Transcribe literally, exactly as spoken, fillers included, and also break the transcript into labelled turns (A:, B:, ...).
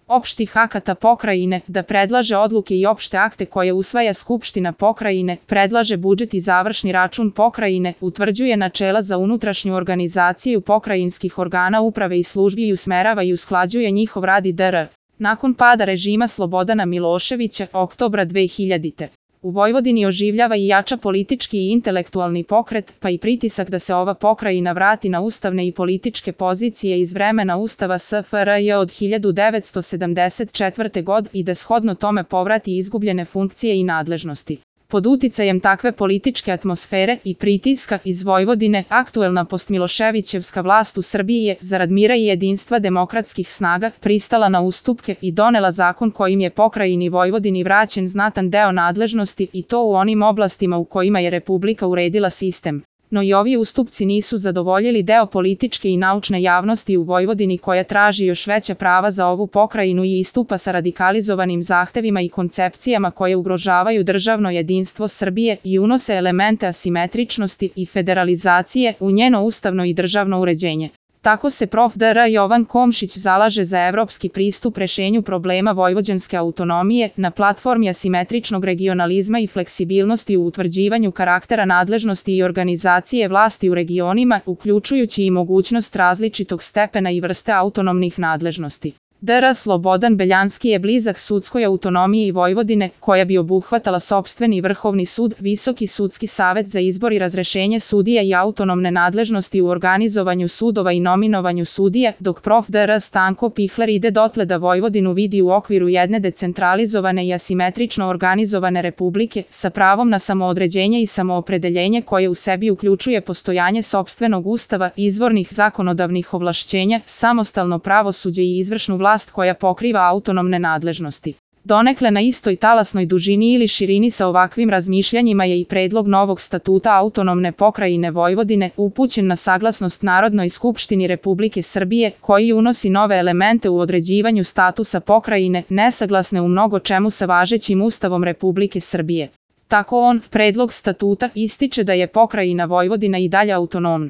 A: opštih akata pokrajine, da predlaže odluke i opšte akte koje usvaja Skupština pokrajine, predlaže budžet i završni račun pokrajine, utvrđuje načela za unutrašnju organizaciju pokrajinskih organa uprave i službi i usmerava i usklađuje njihov rad itd. Nakon pada režima Slobodana Miloševića, oktobra dve hiljadite. U Vojvodini oživljava i jača politički i intelektualni pokret, pa i pritisak da se ova pokrajina vrati na ustavne i političke pozicije iz vremena Ustava S F R J od hiljadu devetsto sedamdeset četvrte. godine i da shodno tome povrati izgubljene funkcije i nadležnosti. Pod uticajem takve političke atmosfere i pritiska iz Vojvodine, aktuelna postmiloševićevska vlast u Srbiji je, zarad mira i jedinstva demokratskih snaga, pristala na ustupke i donela zakon kojim je pokrajini Vojvodini vraćen znatan deo nadležnosti i to u onim oblastima u kojima je Republika uredila sistem. No i ovi ustupci nisu zadovoljili deo političke i naučne javnosti u Vojvodini koja traži još veća prava za ovu pokrajinu i istupa sa radikalizovanim zahtevima i koncepcijama koje ugrožavaju državno jedinstvo Srbije i unose elemente asimetričnosti i federalizacije u njeno ustavno i državno uređenje. Tako se prof. dr Jovan Komšić zalaže za evropski pristup rešenju problema vojvođanske autonomije na platformi asimetričnog regionalizma i fleksibilnosti u utvrđivanju karaktera nadležnosti i organizacije vlasti u regionima, uključujući i mogućnost različitog stepena i vrste autonomnih nadležnosti. dr Slobodan Beljanski je blizak sudskoj autonomiji Vojvodine, koja bi obuhvatala sopstveni vrhovni sud, Visoki sudski savet za izbor i razrešenje sudija i autonomne nadležnosti u organizovanju sudova i nominovanju sudija, dok prof. dr Stanko Pihler ide dotle da Vojvodinu vidi u okviru jedne decentralizovane i asimetrično organizovane republike, sa pravom na samoodređenje i samoopredeljenje koje u sebi uključuje postojanje sopstvenog ustava, izvornih zakonodavnih ovlašćenja, samostalno pravosuđe i izvršnu vlast koja pokriva autonomne nadležnosti. Donekle na istoj talasnoj dužini ili širini sa ovakvim razmišljanjima je i predlog novog statuta autonomne pokrajine Vojvodine, upućen na saglasnost Narodnoj skupštini Republike Srbije, koji unosi nove elemente u određivanju statusa pokrajine, nesaglasne u mnogo čemu sa važećim Ustavom Republike Srbije. Tako on, predlog statuta, ističe da je pokrajina Vojvodina i dalje autonomna.